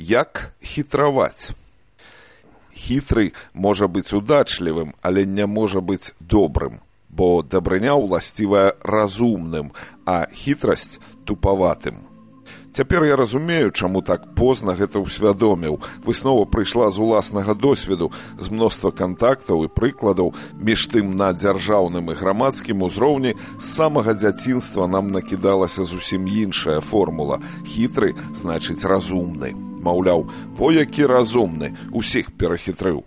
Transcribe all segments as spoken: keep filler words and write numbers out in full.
Як хітраваць? Хітры можа быць удачлівым, але не можа быць добрым, бо дабрыня ўласцівая разумным, а хітрасць тупаватым. Цяпер я разумею, чаму так позна гэта ўсвядоміў. Выснова прыйшла з уласнага досведу, з мноства кантактаў і прыкладаў, між тым на дзяржаўным і грамадскім узроўні з самага дзяцінства нам накідалася зусім іншая формула. Хітры значыць разумны. Маўляў, во які разумны, усіх перахітрыў.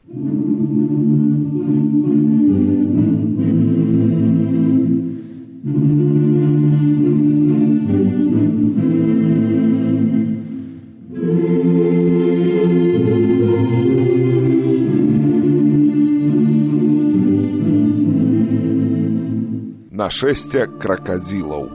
Нашэсце кракадзілаў.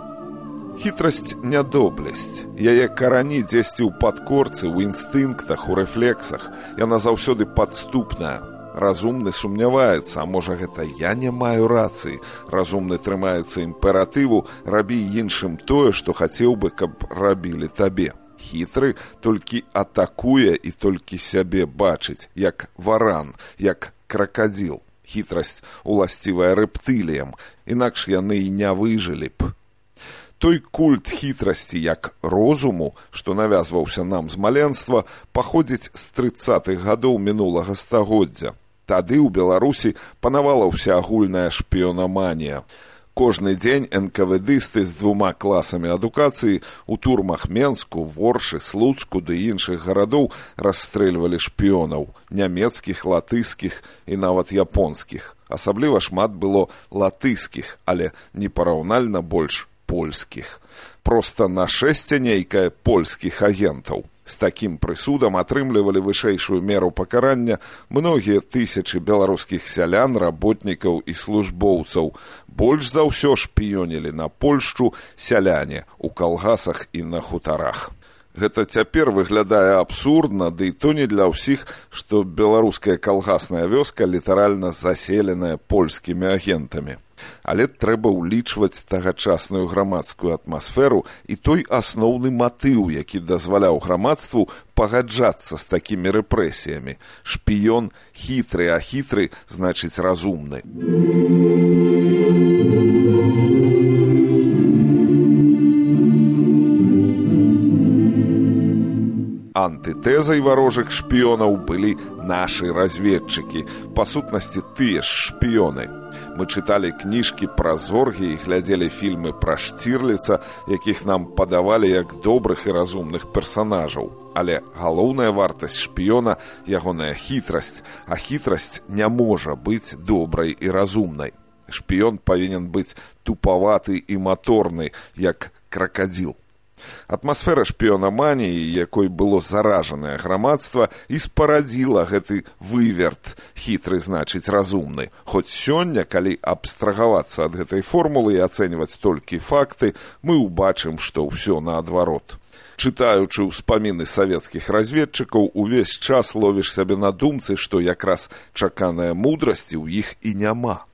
Хітрасць не доблесць. Яе карані дзесьці ў падкорцы, ў інстынктах, у рэфлексах. Яна заўсёды падступная. Разумны сумняваецца, а можа гэта я не маю рацыі. Разумны трымаецца імператыву, рабі іншым тое, што хацеў бы, каб рабілі табе. Хітры толькі атакуе і толькі сябе бачыць, як варан, як кракадзіл. Хітрасць уласцівая рэптыліям, інакш яны і не выжылі б. Той культ хітрасці як розуму, што навязваўся нам з маленства, паходзіць з трыццатых гадоў мінулага стагоддзя. Тады ў Беларусі панавала ўсеагульная шпіёнаманія. Кожны дзень эн ка вэ дысты з двума класамі адукацыі ў турмах Менску, Воршы, Слуцку ды іншых гарадоў расстрэльвалі шпіёнаў, нямецкіх, латыскіх і нават японскіх. Асабліва шмат было латыскіх, але непараўнальна больш польскіх. Проста нашэсце нейкае польскіх агентаў. З такім прысудам атрымлівалі вышэйшую меру пакарання многія тысячы беларускіх сялян, работнікаў і службоўцаў. Больш за ўсё шпіёнілі на Польшчу сяляне ў калгасах і на хутарах. Гэта цяпер выглядае абсурдна, ды і то не для ўсіх, што беларуская калгасная вёска літаральна заселеная польскімі агентамі. Але трэба ўлічваць тагачасную грамадскую атмасферу і той асноўны матыў, які дазваляў грамадству пагаджацца з такімі рэпрэсіямі. Шпіён хітры, а хітры значыць разумны. Антытэзай варожых шпіёнаў былі нашы разведчыкі, па сутнасці тыя ж шпіёны. Мы чыталі кніжкі пра зоргі і глядзелі фільмы пра Штірліца, якіх нам падавалі як добрых і разумных персанажаў. Але галоўная вартасць шпіёна – ягоная хітрасць, а хітрасць не можа быць добрай і разумнай. Шпіён павінен быць тупаваты і маторны, як кракадзіл. Атмасфера шпіёнаманіі, якой было заражанае грамадства, і спарадзіла гэты выверт, хітры значыць разумны. Хоць сёння, калі абстрагавацца ад гэтай формулы і ацэньваць толькі факты, мы ўбачым, што ўсё наадварот. Чытаючы ўспаміны савецкіх разведчыкаў, увесь час ловіш сябе на думцы, што якраз чаканая мудрасці ў іх і няма.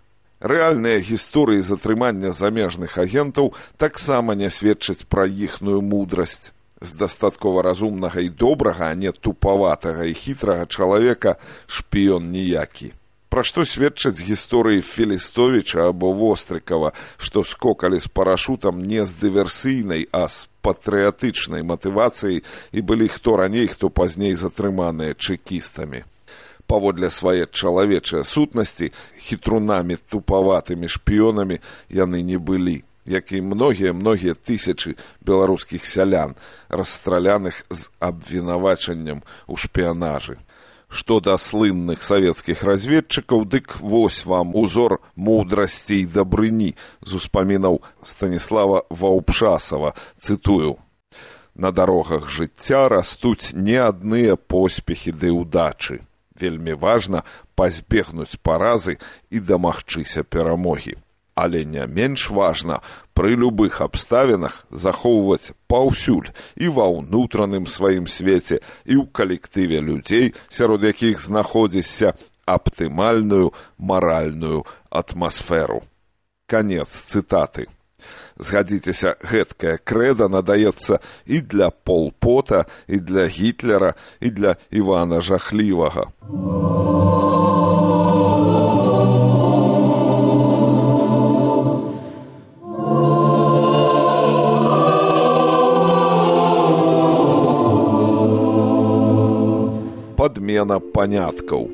Рэальныя гісторыі затрымання замежных агентаў таксама не сведчаць пра іхную мудрасць. З дастаткова разумнага і добрага, а не тупаватага і хітрага чалавека шпіён ніякі. Пра што сведчаць гісторыі Філістовіча або Вострыкава, што скокалі з парашутам не з дыверсійнай, а з патрыятычнай матывацыяй і былі хто раней, хто пазней затрыманыя чэкістамі. Паводле свае чалавечыя сутнасці, хітрунамі, тупаватымі шпіёнамі яны не былі, як і многія-многія тысячы беларускіх сялян, расстраляных з абвінавачаннем у шпіянажы. Што да слынных савецкіх разведчыкаў, дык вось вам узор мудрасці і дабрыні з успамінаў Станіслава Ваўпшасава, цытую. На дарогах жыцця растуць не адныя поспехі ды ўдачы. Вельмі важна пазбегнуць паразы і дамагчыся перамогі. Але не менш важна пры любых абставінах захоўваць паўсюль і ва ўнутраным сваім свеце, і ў калектыве людзей, сярод якіх знаходзішся, аптымальную маральную атмасферу. Канец цытаты. Згадзіцеся, гэткая крэда надаецца і для Пол Пота, і для Гітлера, і для Івана Жахлівага. Падмена паняткаў.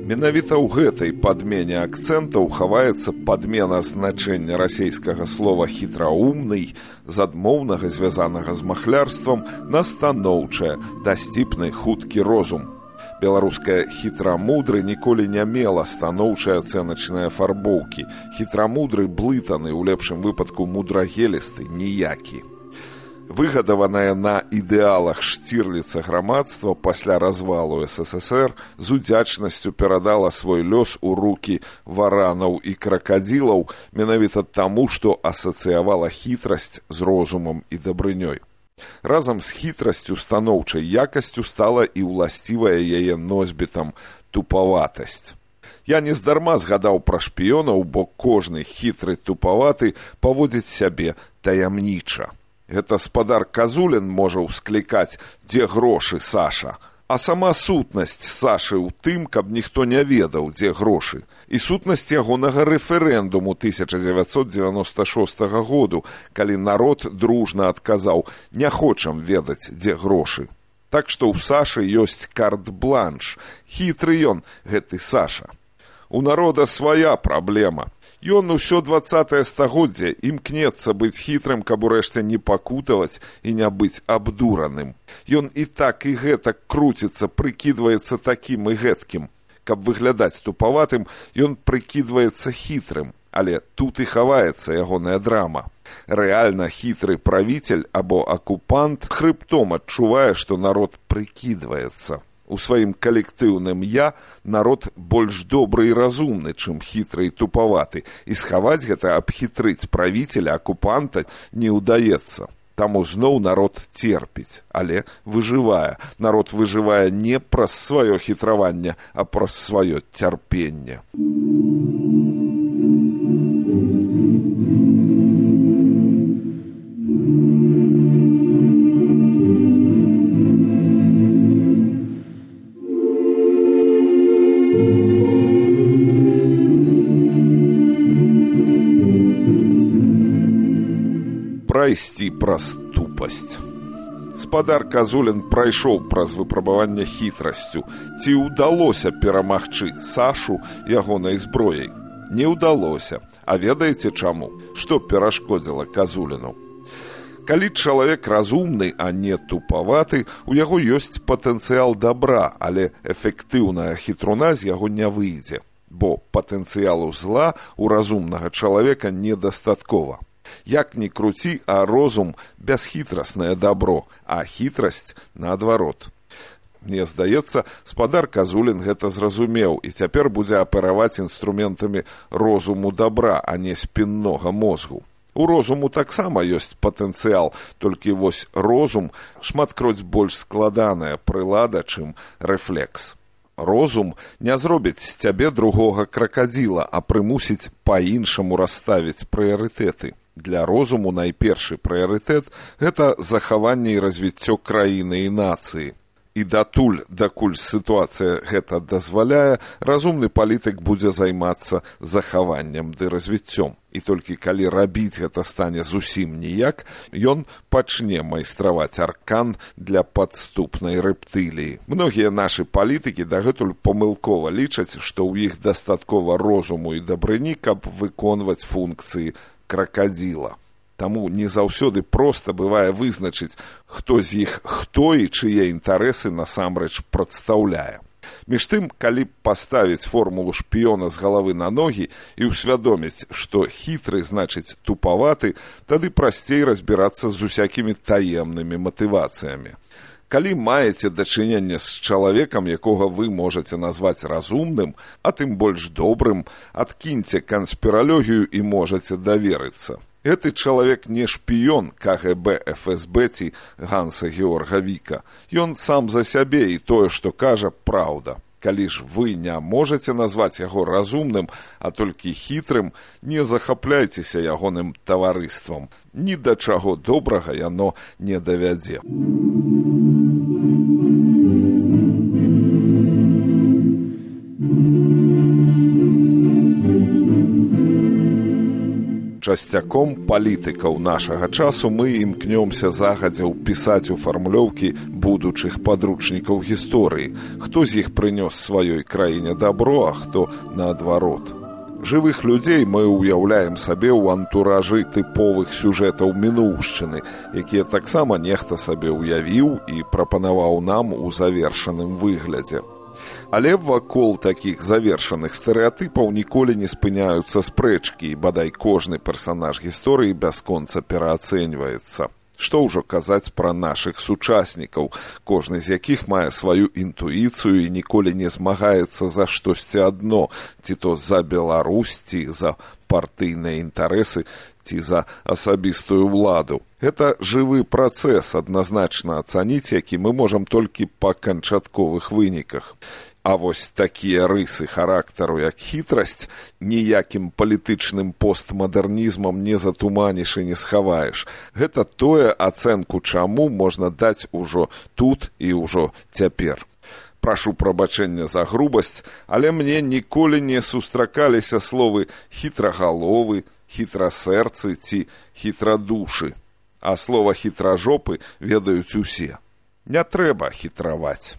Менавіта ў гэтай падмене акцэнтаў хаваецца падмена значэння расейскага слова «хітраумны» з адмоўнага, звязанага з махлярствам, на станоўчае, дасціпны, хуткі розум. Беларускае «хітрамудры» ніколі не мела станоўчай ацэначнай афарбоўкі. Хітрамудры блытаны, у лепшым выпадку мудрагелісты, ніякі. Выгадаванае на ідэалах Штірліца грамадства пасля развалу эс эс эс эр з удзячнасцю перадала свой лёс у рукі варанаў і кракадзілаў менавіта таму, што асацыявала хітрасць з розумам і дабрынёй. Разам з хітрасцю станоўчай якасцю стала і ўласцівая яе носьбітам тупаватасць. Я нездарма згадаў пра шпіёнаў, бо кожны хітры тупаваты паводзіць сябе таямніча. Гэта спадар Казулін можа ўсклікаць «Дзе грошы, Саша?», а сама сутнасць Сашы ў тым, каб ніхто не ведаў, дзе грошы. І сутнасць ягонага рэферэндуму тысяча дзевяцьсот дзевяноста шостага году, калі народ дружна адказаў «Не хочам ведаць, дзе грошы». Так што ў Сашы ёсць карт-бланш. Хітры ён, гэты Саша. У народа свая праблема. Ён усё дваццатае стагоддзе імкнецца быць хітрым, каб урэшце не пакутаваць і не быць абдураным. Ён і так і гэтак круціцца, прыкідваецца такім і гэткім. Каб выглядаць тупаватым, ён прыкідваецца хітрым, але тут і хаваецца ягоная драма. Рэальна хітры правіцель або акупант хрыбтом адчувае, што народ прыкідваецца. У сваім калектыўным «я» народ больш добры і разумны, чым хітры і тупаваты, і схаваць гэта, абхітрыць правіцеля, акупанта не ўдаецца. Таму зноў народ церпіць, але выжывае. Народ выжывае не праз сваё хітраванне, а праз сваё цярпенне. Прайсці праз тупасць. Спадар Казулін прайшоў праз выпрабаванне хітрасцю. Ці ўдалося перамагчы Сашу ягонай зброяй? Не ўдалося. А ведаеце чаму? Што перашкодзіла Казуліну? Калі чалавек разумны, а не тупаваты, у яго ёсць патэнцыял дабра, але эфектыўная хітруна з яго не выйдзе. Бо патэнцыялу зла у разумнага чалавека недастаткова. Як ні круці, а розум бясхітраснае дабро, а хітрасць наадварот. Мне здаецца, спадар Казулін гэта зразумеў і цяпер будзе апераваць інструментамі розуму дабра, а не спіннога мозгу. У розуму таксама ёсць патэнцыял, толькі вось розум шматкроць больш складаная прылада, чым рэфлекс. Розум не зробіць з цябе другога кракадзіла, а прымусіць па-іншаму расставіць прыярытэты. Для розуму найпершы прыярытэт – гэта захаванне і развіццё краіны і нацыі. І датуль, дакуль сітуацыя гэта дазваляе, разумны палітык будзе займацца захаваннем ды развіццём. І толькі калі рабіць гэта стане зусім ніяк, ён пачне майстраваць аркан для падступнай рэптыліі. Многія нашы палітыкі дагэтуль памылкова лічаць, што ў іх дастаткова розуму і дабрыні, каб выконваць функцыі кракадзіла. Таму не заўсёды проста бывае вызначыць, хто з іх хто і чые інтарэсы насамрэч прадстаўляе. Між тым, калі паставіць формулу шпіёна з галавы на ногі і ўсвядоміць, што хітры значыць тупаваты, тады прасцей разбірацца з усякімі таемнымі матывацыямі. Калі маеце дачыненне з чалавекам, якога вы можаце назваць разумным, а тым больш добрым, адкіньце канспіралогію і можаце даверыцца. Гэты чалавек не шпіён ка гэ бэ, эф эс бэ ці Ганса Георга Віка. Ён сам за сябе і тое, што кажа, праўда. Калі ж вы не можаце назваць яго разумным, а толькі хітрым, не захапляйцеся ягоным таварыствам. Ні да чаго добрага яно не давядзе. Часцяком палітыкаў нашага часу мы імкнёмся загадзя ўпісаць у фармулёўкі будучых падручнікаў гісторыі, хто з іх прынёс сваёй краіне дабро, а хто наадварот. Жывых людзей мы ўяўляем сабе ў антуражы тыповых сюжэтаў мінуўшчыны, якія таксама нехта сабе ўявіў і прапанаваў нам у завершаным выглядзе. Але вакол такіх завершаных стэрэатыпаў ніколі не спыняюцца спрэчкі, і бадай кожны персанаж гісторыі бясконца пераацэньваецца. Што ўжо казаць пра нашых сучаснікаў, кожны з якіх мае сваю інтуіцыю і ніколі не змагаецца за штосьці адно, ці то за Беларусь, ці за партыйныя інтарэсы, ці за асабістую ўладу. Гэта жывы працэс, адназначна ацаніць, які мы можам толькі па канчатковых выніках. А вось такія рысы характару, як хітрасць, ніякім палітычным постмадэрнізмам не затуманіш і не схаваеш. Гэта тое, ацэнку чаму можна даць ужо тут і ўжо цяпер. Прашу прабачэння за грубасць, але мне ніколі не сустракаліся словы хітрагаловы, хітрасэрцы ці хітрадушы. А слова хітражопы ведаюць усе. Не трэба хітраваць.